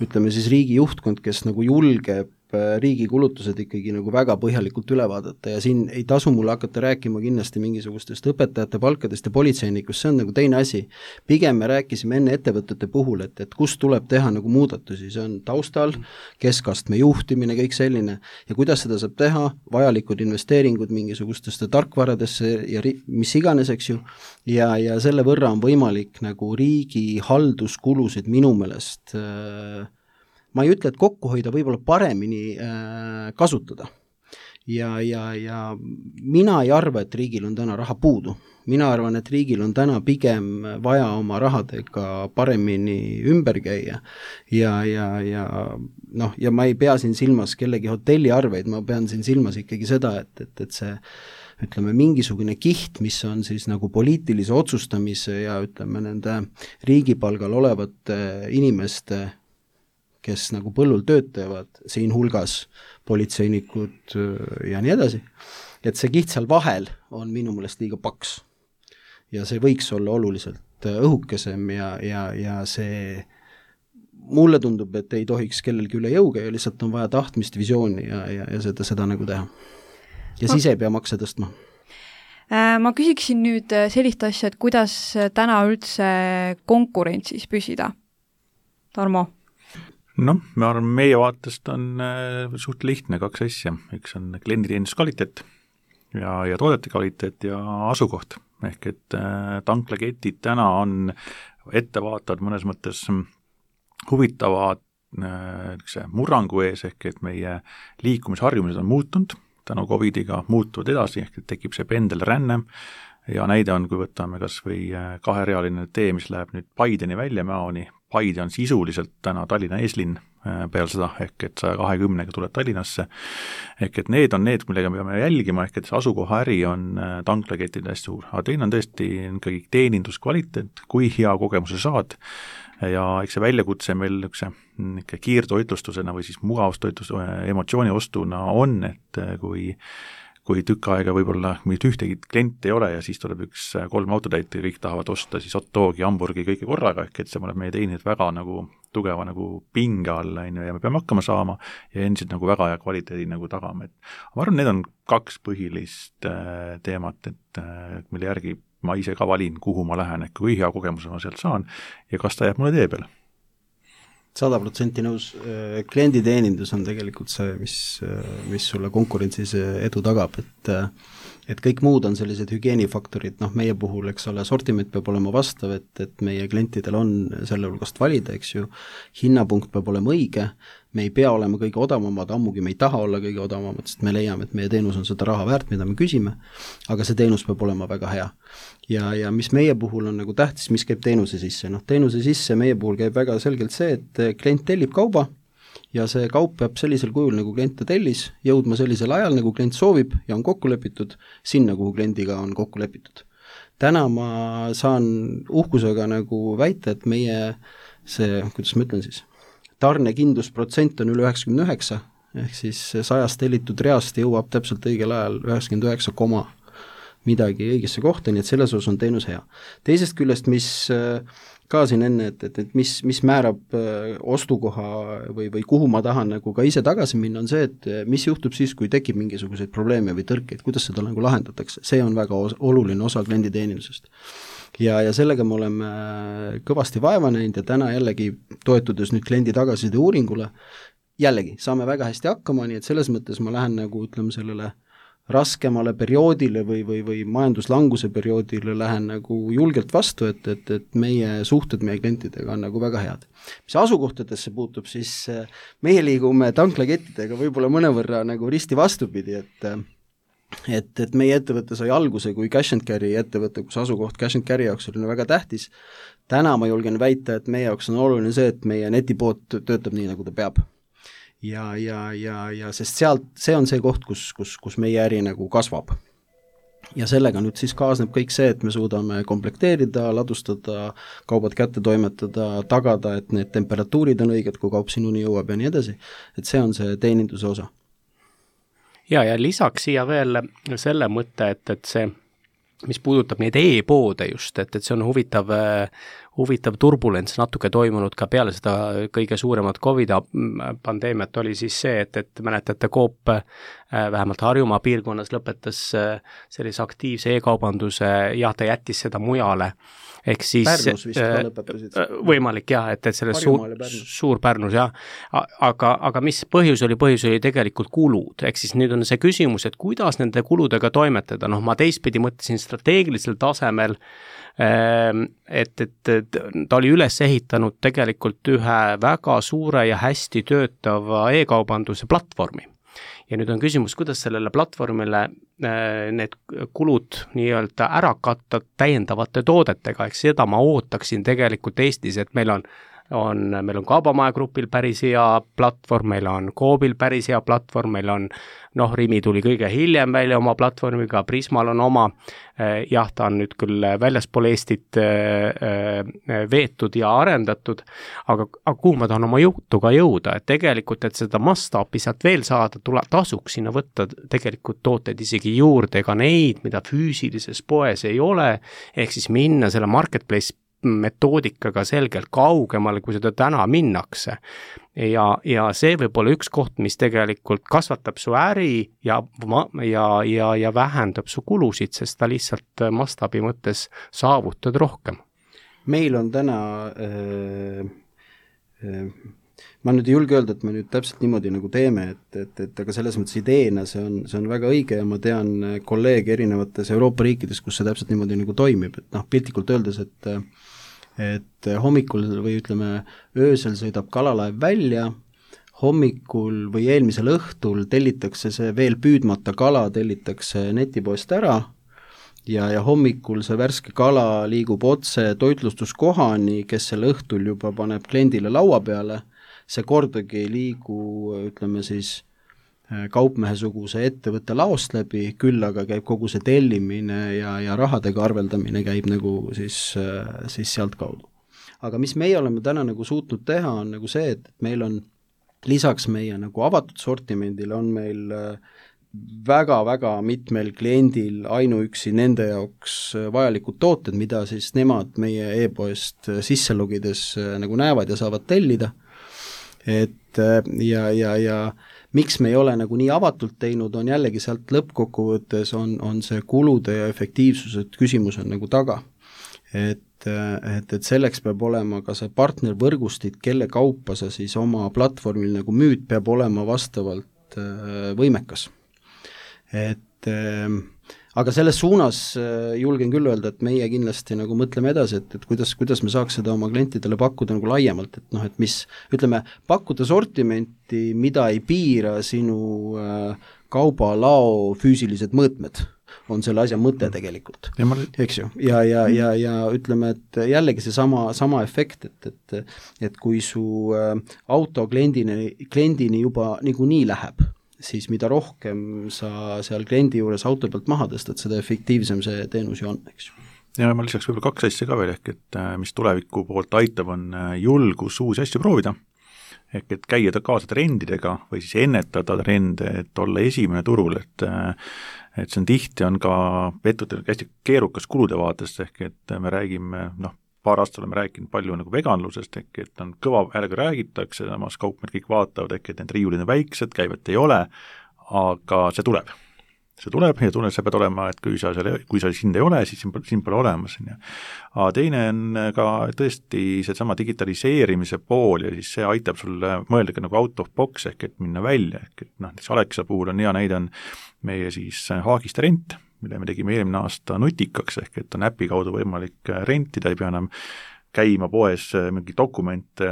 ütleme siis riigi juhtkond, kes nagu julgeb riigi kulutused ikkagi nagu väga põhjalikult üle vaadata ja siin ei tasu mulle hakata rääkima kindlasti mingisugustest õpetajate palkadest ja politseinikust, see on nagu teine asi. Pigem me rääkisime enne ettevõtete puhul, et kus tuleb teha nagu muudatusi, see on taustal, keskastme juhtimine, kõik selline ja kuidas seda saab teha, vajalikud investeeringud mingisugustesse tarkvaradesse ja mis iganes, eks ju, ja selle võrra on võimalik nagu riigi halduskulusid minu meelest ma ei ütle, et kokku hoida, võib-olla paremini kasutada. Ja mina ei arva, et riigil on täna raha puudu. Mina arvan, et riigil on täna pigem vaja oma rahadega paremini ümber käia. Ja ma ei pea siin silmas kellegi hotelliarveid, ma pean siin silmas ikkagi seda, et see ütleme mingisugune kiht, mis on siis nagu poliitilise otsustamise ja ütleme nende riigipalgal olevate inimeste kes nagu põllul töötavad, siin hulgas politseinikud ja nii edasi, et see kiht seal vahel on minu meelest liiga paks. Ja see võiks olla oluliselt õhukesem ja see mulle tundub, et ei tohiks kellelgi üle jõuga ja lihtsalt on vaja tahtmist, visiooni ja seda nagu teha. Ja siis ei pea makse tõstma. Ma küsiksin nüüd sellist asja, et kuidas täna üldse konkurentsis püsida? Tarmo? Ma arvan, meie vaatest on suht lihtne kaks asja. Üks on klienditeeninduse kvaliteet ja toodete kvaliteet ja asukoht. Ehk et tanklaketid täna on ettevaatavad mõnes mõttes huvitavad murrangu ees, ehk et meie liikumisharjumused on muutunud, tänu COVIDiga muutuvad edasi, ehk et tekib see pendelränne ja näide on, kui võtame kas või kaherealine tee, mis läheb nüüd Paideni Väljamäoni. Paide on sisuliselt täna Tallinna eeslinn peale seda, ehk et 120-ga tuleb Tallinnasse, ehk et need on need, millega me peame jälgima, ehk et see asukoha äri on tanklaketid hästi suur, aga teine on tõesti ikkagi teeninduskvaliteet, kui hea kogemuse saad ja eks see väljakutse meil ikka kiirtoitlustusena või siis mugavustoitlustuse emotsiooni ostuna on, et kui tükk aega võib-olla mitte ühtegi klienti ei ole ja siis tuleb 3 autotäit ja kõik tahavad osta siis hot dogi, hamburgi, kõike korraga, ehk et see paneb meie teenid väga nagu tugeva nagu pinge alla ja me peame hakkama saama ja endiselt nagu väga hea kvaliteedi nagu tagama. Ma arvan, need on 2 põhilist teemat, et mille järgi ma ise ka valin, kuhu ma lähen, et kui hea kogemuse ma sealt saan ja kas ta jääb mulle tee peale. 100% nõus, klienditeenindus on tegelikult see, mis sulle konkurentsis edu tagab, et kõik muud on sellised hügieenifaktorid, meie puhul, eks ole, sortiment peab olema vastav, et meie klientidel on selle hulgast valida, eks ju, hinnapunkt peab olema õige, me ei pea olema kõige odavamad, ammugi me ei taha olla kõige odavamad, sest me leiame, et meie teenus on seda raha väärt, mida me küsime, aga see teenus peab olema väga hea. Ja mis meie puhul on nagu tähtis, mis käib teenuse sisse? Teenuse sisse meie puhul käib väga selgelt see, et klient tellib kauba ja see kaup peab sellisel kujul, nagu klient ta tellis, jõudma sellisel ajal, nagu klient soovib ja on kokku lepitud, sinna, kuhu kliendiga on kokku lepitud. täna ma saan uhkusega nagu väita, et meie see, kuidas ma ütlen siis, tarnekindlusprotsent on üle 99, ehk siis 100 tellitud reast jõuab täpselt õigel ajal 99, midagi õigesse kohta, nii et selles osas on teenus hea. Teisest küljest, mis ka siin enne, et mis määrab ostukoha või kuhu ma tahan nagu ka ise tagasi minna, on see, et mis juhtub siis, kui tekib mingisuguseid probleeme või tõrkeid, kuidas seda nagu lahendatakse, see on väga oluline osa klienditeenindusest. Ja sellega me oleme kõvasti vaeva näinud ja täna jällegi toetudes nüüd kliendi tagasiside uuringule, jällegi saame väga hästi hakkama, nii et selles mõttes ma lähen nagu ütleme sellele raskemale perioodile või majanduslanguse perioodile lähen nagu julgelt vastu, et meie suhted meie klientidega on nagu väga head. Mis asukohtadesse puutub, siis meie liigume tanklakettidega võib-olla mõnevõrra nagu risti vastupidi, et meie ettevõte sai alguse kui cash and carry ettevõte, kus asukoht cash and carry jaoks oli väga tähtis. Täna ma julgen väita, et meie jaoks on oluline see, et meie netipood töötab nii, nagu ta peab. Ja sest sealt, see on see koht, kus meie äri nagu kasvab. Ja sellega nüüd siis kaasneb kõik see, et me suudame komplekteerida, ladustada, kaubad kätte toimetada, tagada, et need temperatuurid on õiged, kui kaup sinuni jõuab ja nii edasi. Et see on see teeninduse osa. Ja lisaks siia veel selle mõtte, et see, mis puudutab neid e-poode just, et see on huvitav turbulents natuke toimunud ka peale seda kõige suuremat COVID-pandeemiat oli siis see, et mäletate, Coop vähemalt Harjumaa piirkonnas lõpetas sellise aktiivse e-kaubanduse, ta jättis seda mujale. Ehk siis Pärnus vist ka lõpetasid. Võimalik jah, et selle suur Pärnus jah, aga mis põhjus oli tegelikult kulud, ehk siis nüüd on see küsimus, et kuidas nende kuludega toimetada, ma teistpidi mõtlesin strateegilisel tasemel, et ta oli üles ehitanud tegelikult ühe väga suure ja hästi töötava e-kaubanduse platvormi. Ja nüüd on küsimus, kuidas sellele platvormile need kulud nii-öelda ära katta täiendavate toodetega, ehk seda ma ootaksin tegelikult Eestis, et meil on Kaubamaja grupil päris hea platvorm, meil on Coobil päris hea platvorm, meil on Rimi tuli kõige hiljem välja oma platvormiga, Prismal on oma, ta on nüüd küll väljaspool Eestit veetud ja arendatud, aga kuhu ma tahan oma jutuga jõuda, et tegelikult, et seda mastaapi sealt veel saada, tasuks sinna võtta tegelikult tooteid isegi juurde, ega neid, mida füüsilises poes ei ole, ehk siis minna selle marketplace metoodikaga selgelt kaugemale, kui seda täna minnakse. Ja see võib olla üks koht, mis tegelikult kasvatab su äri ja vähendab su kulusid, sest ta lihtsalt mastaabi mõttes saavutad rohkem. Meil on täna, ma nüüd ei julge öelda, et me nüüd täpselt niimoodi nagu teeme, et aga selles mõttes ideena see on väga õige ja ma tean kolleege erinevates Euroopa riikides, kus see täpselt niimoodi nagu toimib, et piltlikult öeldes, et hommikul või ütleme öösel sõidab kalalaev välja, hommikul või eelmisel õhtul tellitakse see veel püüdmata kala, tellitakse netipoest ära ja hommikul see värske kala liigub otse toitlustuskohani, kes selle õhtul juba paneb kliendile laua peale, see kordagi ei liigu, ütleme siis, kaupmehesuguse ettevõtte laost läbi, küll aga käib kogu see tellimine ja rahadega arveldamine käib nagu siis sealt kaudu. Aga mis meie oleme täna nagu suutnud teha, on nagu see, et meil on lisaks meie nagu avatud sortimendile on meil väga-väga mitmel kliendil ainuüksi nende jaoks vajalikud tooted, mida siis nemad meie e-poest sisse logides nagu näevad ja saavad tellida. Et ja miks me ei ole nagu nii avatult teinud, on jällegi sealt lõppkokkuvõttes on see kulude ja efektiivsuse küsimus on nagu taga. Et selleks peab olema ka see partnervõrgustik, kelle kaupa sa siis oma platvormil nagu müüd, peab olema vastavalt võimekas. Aga selles suunas julgen küll öelda, et meie kindlasti nagu mõtleme edasi, et kuidas me saaks seda oma klientidele pakkuda nagu laiemalt, et mis, ütleme, pakkuda sortimenti, mida ei piira sinu kaubalao füüsilised mõõtmed, on selle asja mõte tegelikult, eks ju, ja ütleme, et jällegi see sama efekt, et kui su auto kliendini juba niikuinii läheb, siis mida rohkem sa seal kliendi juures auto pealt maha tõstad, seda efektiivsem see teenus ju on, eks ju. ja ma lisaks võib-olla 2 asja ka veel, ehk et mis tuleviku poolt aitab, on julgus uusi asju proovida, ehk et käia kaasa trendidega või siis ennetada trende, et olla esimene turul, et see on tihti, on ka ettevõttel hästi keerukas kulude vaatest, ehk et me räägime, paar aastat oleme rääkinud palju nagu veganlusest, ehk et on kõva häälega räägitakse, samas kaupmehed kõik vaatavad, ehk et need riiulid on väiksed, käivet ei ole, aga see tuleb ja sa pead olema, et kui sa sind ei ole, siis sind pole olemas. Aga teine on ka tõesti seesama digitaliseerimise pool ja siis see aitab sulle mõelda ka nagu out of box ehk et minna välja, ehk et näiteks Alexa puhul on hea näide on meie siis Haagiste rent, mille me tegime eelmine aasta nutikaks, ehk et on äpi kaudu võimalik rentida, ei pea enam käima poes mingi dokumente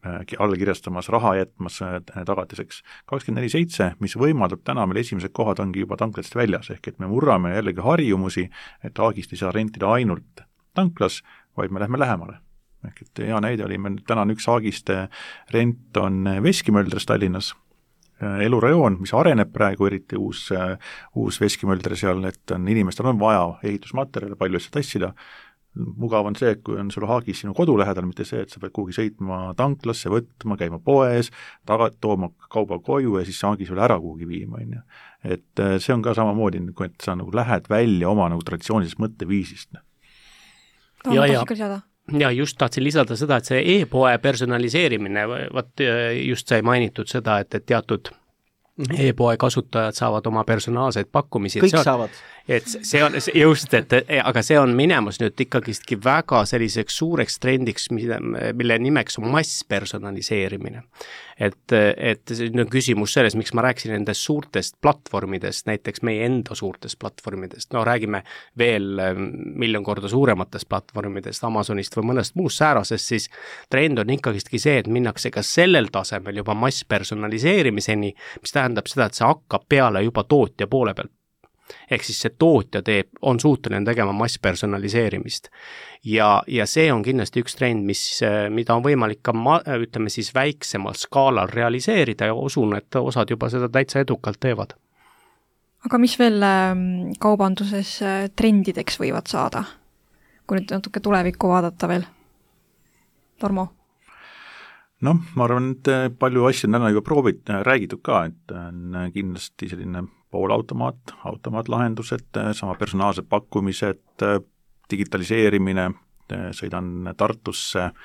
alla kirjastamas, raha jätmas tagatiseks 24/7, mis võimaldab täna meil esimesed kohad ongi juba tanklatest väljas, ehk et me murrame jällegi harjumusi, et Haagist ei saa rentida ainult tanklas, vaid me lähme lähemale. Ehk et hea näide oli, meil täna on üks Haagiste rent on Veskimöldres Tallinnas, elurajoon, mis areneb praegu, eriti uus Veskimöldre seal, et on inimestel on vaja ehitusmaterjale, palju asja tassida. Mugav on see, et kui on sul Haagis sinu kodu lähedal, mitte see, et sa pead kuhugi sõitma tanklasse, võtma, käima poes, tooma kauba koju ja siis Haagis veel ära kuhugi viima. Et see on ka samamoodi, et sa nagu lähed välja oma nagu traditsioonilisest mõtteviisist. Ja just tahtsin lisada seda, et see e-poe personaliseerimine, just sai mainitud seda, et teatud e-poe kasutajad saavad oma personaalseid pakkumisi. Kõik saavad. Et see on just, aga see on minemas nüüd ikkagistki väga selliseks suureks trendiks, mille nimeks on masspersonaliseerimine. Et nüüd on küsimus selles, miks ma rääkisin nendest suurtest platvormidest, näiteks meie enda suurtest platvormidest, räägime veel 1 miljon korda suurematest platvormidest, Amazonist või mõnest muust säärasest, siis trend on ikkagistki see, et minnakse ka sellel tasemel juba masspersonaliseerimiseni, mis tähendab seda, et see hakkab peale juba tootja poole pealt. Ehk siis see tootja on suuteline tegema masspersonaliseerimist. Ja see on kindlasti üks trend, mida on võimalik ka, ütleme siis, väiksemal skaalal realiseerida ja usun, et osad juba seda täitsa edukalt teevad. Aga mis veel kaubanduses trendideks võivad saada? Kui nüüd natuke tulevikku vaadata veel. Tarmo? Ma arvan, et palju asju on täna juba räägitud ka, et on kindlasti selline poolautomaatlahendused, sama personaalsed pakkumised, digitaliseerimine, sõidan Tartusse,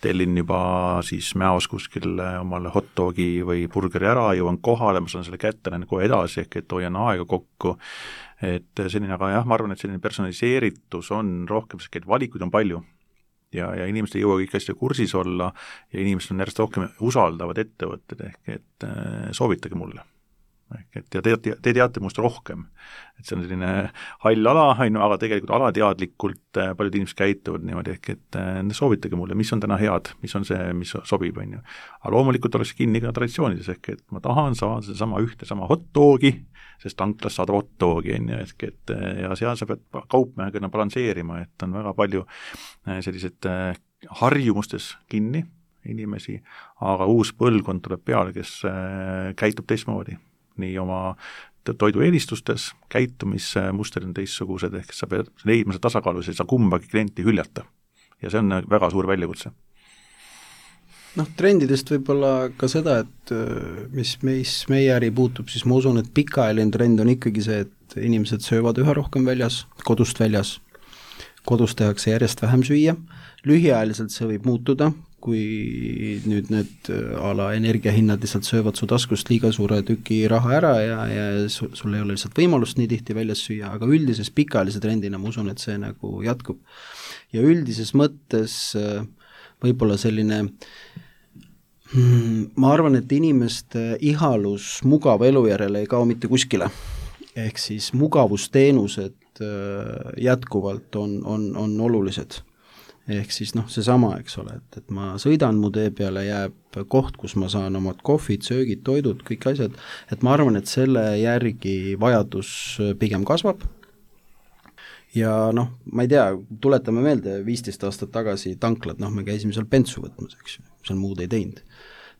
tellin juba siis Mäos kuskil omale hot dogi või burgeri ära, jõuan kohale, ma saan selle kätte, lähen kohe edasi, ehk et hoian aega kokku, et selline, aga jah, ma arvan, et selline personaliseeritus on rohkem, sest valikuid on palju ja inimesed ei jõua kõik asja kursis olla ja inimesed on järjest rohkem usaldavad ettevõtted, ehk et soovitage mulle. Ja te teate must rohkem, et see on selline hall ala, aga tegelikult alateadlikult paljud inimesed käituvad niimoodi, ehk et soovitage mulle, mis on täna head, mis on see, mis sobib, aga loomulikult oleks kinni ka traditsioonides, ehk et ma tahan saada sedasama sama hot dogi, sest tanklas saada hot dogi, ehk et ja seal sa pead kaupmehega balansseerima, et on väga palju sellised harjumustes kinni inimesi, aga uus põlvkond tuleb peale, kes käitub teistmoodi. Nii oma toidu eelistustes, käitumismusterid on teistsugused, ehk sa pead leidma see tasakaalu, sa ei saa kumbagi klienti hüljata. Ja see on väga suur väljakutse. Trendidest võib-olla ka seda, et mis meie äri puutub, siis ma usun, et pikaajaline trend on ikkagi see, et inimesed söövad üha rohkem väljas, kodust väljas. Kodus tehakse järjest vähem süüa. Lühiajaliselt see võib muutuda, kui nüüd need ala energiahinnad lihtsalt söövad su taskust liiga suure tüki raha ära ja sul ei ole lihtsalt võimalust nii tihti väljas süüa, aga üldises pikaajalise trendina ma usun, et see nagu jätkub. Ja üldises mõttes võib-olla selline, ma arvan, et inimeste ihalus mugava elu järele ei kao mitte kuskile. Ehk siis mugavusteenused jätkuvalt on olulised. Ehk siis seesama, eks ole, et ma sõidan, mu tee peale jääb koht, kus ma saan omad kohvid, söögid, toidud, kõik asjad, et ma arvan, et selle järgi vajadus pigem kasvab. Ja ma ei tea, tuletame meelde 15 aastat tagasi tanklad, me käisime seal bensu võtmas, eks ju, seal muud ei teinud.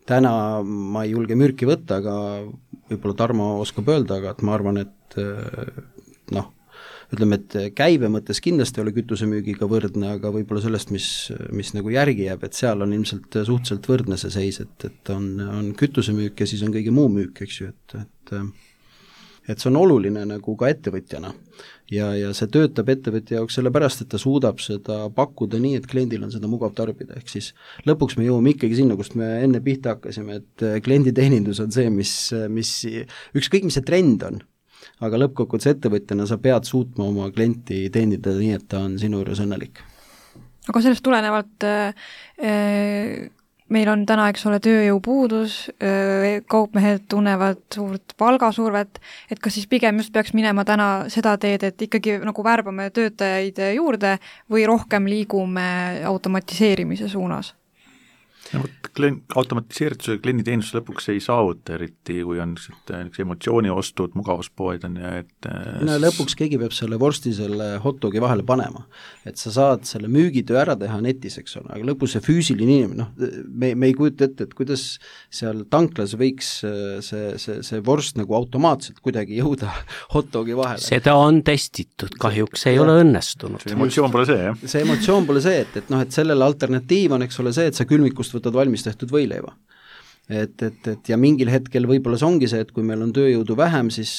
Täna ma ei julge mürki võtta, aga võib-olla Tarmo oskab öelda, aga et ma arvan, et ütleme, et käibe mõttes kindlasti ei ole kütusemüügiga võrdne, aga võib-olla sellest, mis nagu järgi jääb, et seal on ilmselt suhteliselt võrdne see seis, et on kütusemüük ja siis on kõige muu müük, eks ju, et see on oluline nagu ka ettevõtjana ja see töötab ettevõtja jaoks sellepärast, et ta suudab seda pakkuda nii, et kliendil on seda mugav tarbida, ehk siis lõpuks me jõuame ikkagi sinna, kust me enne pihta hakkasime, et klienditeenindus on see, mis ükskõik, mis see trend on, aga lõppkokkuvõttes ettevõtjana sa pead suutma oma klienti teenida nii, et ta on sinu juures õnnelik. Aga sellest tulenevalt meil on täna, eks ole, tööjõupuudus, kaupmehed tunnevad suurt palgasurvet, et kas siis pigem just peaks minema täna seda teed, et ikkagi nagu värbame töötajaid juurde või rohkem liigume automatiseerimise suunas? Automatiseeritusega klienditeenus lõpuks ei saavuta, eriti kui on emotsiooniostud, mugavuspoed on ja no lõpuks keegi peab selle vorsti selle hotdogi vahele panema, et sa saad selle müügitöö ära teha netis, eks ole, aga lõpus see füüsiline inimene, me ei kujuta ette, et kuidas seal tanklas võiks see vorst nagu automaatselt kuidagi jõuda hotdogi vahele. Seda on testitud, kahjuks ei ole õnnestunud. See emotsioon pole see, jah? See emotsioon pole see, et sellele alternatiiv on, eks ole, see, et sa külmikust võtad valmis tehtud võileiva. Et ja mingil hetkel võib-olla see ongi see, et kui meil on tööjõudu vähem, siis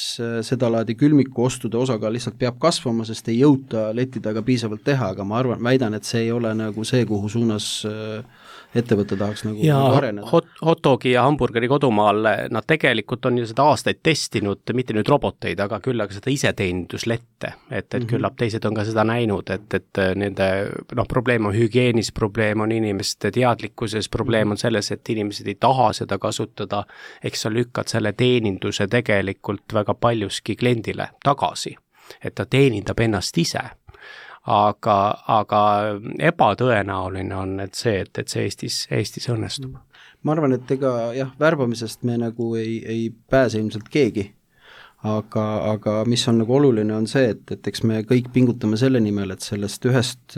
seda laadi külmiku ostude osakaal lihtsalt peab kasvama, sest ei jõuta leti taga piisavalt teha, aga ma väidan, et see ei ole nagu see, kuhu suunas ettevõte tahaks nagu areneda. Hotdogi ja hamburgeri kodumaal, nad tegelikult on ju seda aastaid testinud, mitte nüüd roboteid, aga küll aga seda iseteeninduslette, et küllap teised on ka seda näinud, et nende probleem on hügieenis, probleem on inimeste teadlikkuses, probleem on selles, et inimesed ei taha seda kasutada, eks sa lükkad selle teeninduse tegelikult väga paljuski kliendile tagasi, et ta teenindab ennast ise. Aga ebatõenäoline on, et see Eestis õnnestub. Ma arvan, et värbamisest me nagu ei pääse ilmselt keegi, aga mis on nagu oluline on see, et eks me kõik pingutame selle nimel, et sellest ühest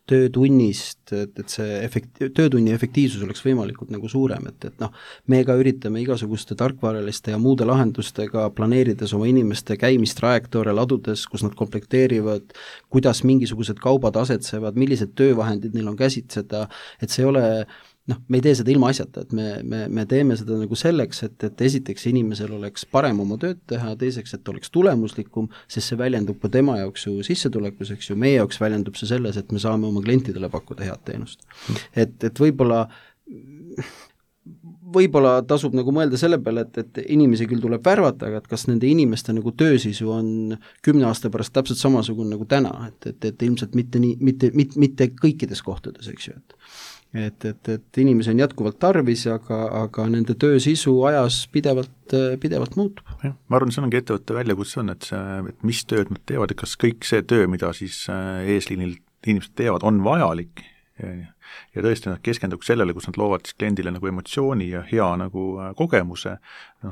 töötunnist, et see töötunni efektiivsus oleks võimalikult nagu suurem, et me ka üritame igasuguste tarkvaraliste ja muude lahendustega planeerides oma inimeste käimist trajektoore ladudes, kus nad komplekteerivad, kuidas mingisugused kaubad asetsevad, millised töövahendid neil on käsitseda, et see ei ole me ei tee seda ilma asjata, et me teeme seda nagu selleks, et esiteks inimesel oleks parem oma tööd teha, teiseks, et oleks tulemuslikum, sest see väljendub ka tema jaoks ju sissetulekus, eks ju, meie jaoks väljendub see selles, et me saame oma klientidele pakkuda head teenust. Et võib-olla tasub nagu mõelda selle peale, et inimesi küll tuleb värvata, aga et kas nende inimeste nagu töösisu on 10 aasta pärast täpselt samasugune nagu täna, et ilmselt mitte kõikides kohtades, eks ju, et inimesi on jätkuvalt tarvis, aga nende töö sisu ajas pidevalt muutub. Ma arvan, see ongi ettevõtte väljakutse on, et mis tööd nad teevad, et kas kõik see töö, mida siis eesliinil inimesed teevad, on vajalik ja tõesti nad keskenduks sellele, kus nad loovad siis kliendile nagu emotsiooni ja hea nagu kogemuse.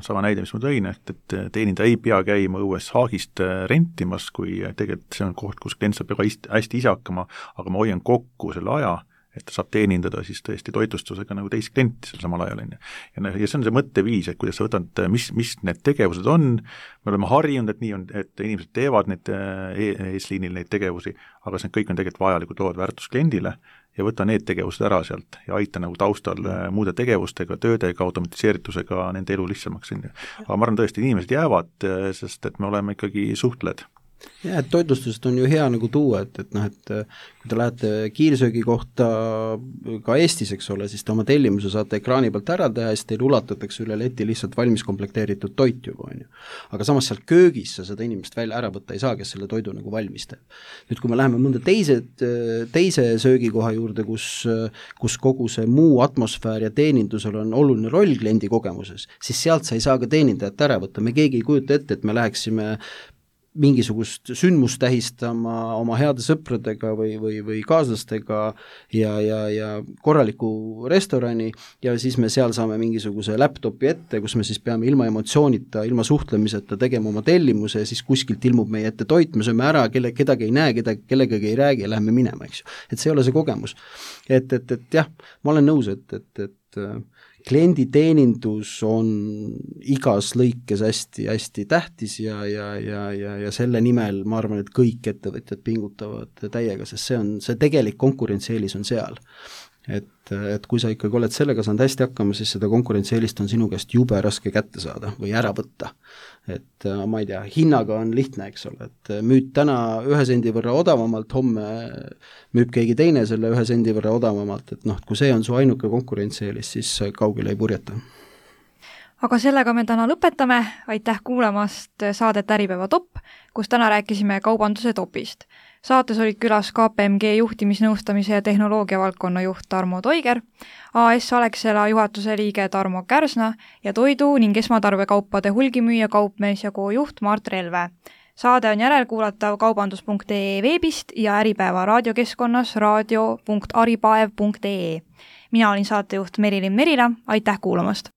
Sama näide, mis ma tõin, et teeninda ei pea käima õues haagist rentimas, kui tegelikult see on koht, kus klient saab hästi ise hakkama, aga ma hoian kokku selle aja, et ta saab teenindada siis tõesti toitlustusega nagu teist klienti seal samal ajal. Ja see on see mõtteviis, et kuidas sa võtad, mis need tegevused on, me oleme harjunud, et nii on, et inimesed teevad need eesliinil neid tegevusi, aga see kõik on tegelikult vajalikud lood väärtus kliendile ja võta need tegevused ära sealt ja aita nagu taustal muude tegevustega, töödega, automatiseeritusega nende elu lihtsamaks. Aga ma arvan tõesti, inimesed jäävad, sest et me oleme ikkagi suhtled. Ja, et toitlustusest on ju hea nagu tuua, et kui te lähete kiirsöögi kohta ka Eestis, eks ole, siis te oma tellimuse saate ekraani pealt ära teha ja siis teil ulatatakse üle leti lihtsalt valmis komplekteeritud toit juba, on ju. Aga samas seal köögis sa seda inimest välja ära võtta ei saa, kes selle toidu nagu valmis teeb. Nüüd, kui me läheme mõnda teise söögikoha juurde, kus kogu see muu atmosfäär ja teenindusel on oluline roll kliendi kogemuses, siis sealt sa ei saa ka teenindajat ära võtta. Me keegi ei kujuta ette, et me läheksime mingisugust sündmust tähistama oma heade sõpradega või kaaslastega ja korraliku restorani ja siis me seal saame mingisuguse laptopi ette, kus me siis peame ilma emotsioonita, ilma suhtlemiseta tegema oma tellimuse ja siis kuskilt ilmub meie ette toit, me sööme ära, kedagi ei näe, kellegagi ei räägi ja läheme minema, eks ju. Et see ei ole see kogemus. Et jah, ma olen nõus, et klienditeenindus on igas lõikes hästi tähtis ja selle nimel ma arvan, et kõik ettevõtjad pingutavad täiega, sest see tegelik konkurentsieelis on seal. Et kui sa ikkagi oled sellega saanud hästi hakkama, siis seda konkurentsieelist on sinu käest jube raske kätte saada või ära võtta. Et ma ei tea, hinnaga on lihtne, eks ole, et müüd täna 1 sendi võrra odavamalt, homme müüb keegi teine selle 1 sendi võrra odavamalt, et kui see on su ainuke konkurentsieelis, siis kaugele ei purjeta. Aga sellega me täna lõpetame, aitäh kuulamast saadet Äripäeva Top, kus täna rääkisime kaubanduse topist. Saates olid külas KPMG juhtimisnõustamise ja tehnoloogia valdkonna juht Tarmo Toiger, AS Alexela juhatuse liige Tarmo Kärsna ja toidu ning esmatarbekaupade hulgimüüja kaupmees ja juht Mart Relve. Saade on järelkuulatav kaubandus.ee veebist ja Äripäeva raadiokeskkonnas radio.aripaev.ee. Mina olin saatejuht Merilin Merila, aitäh kuulamast!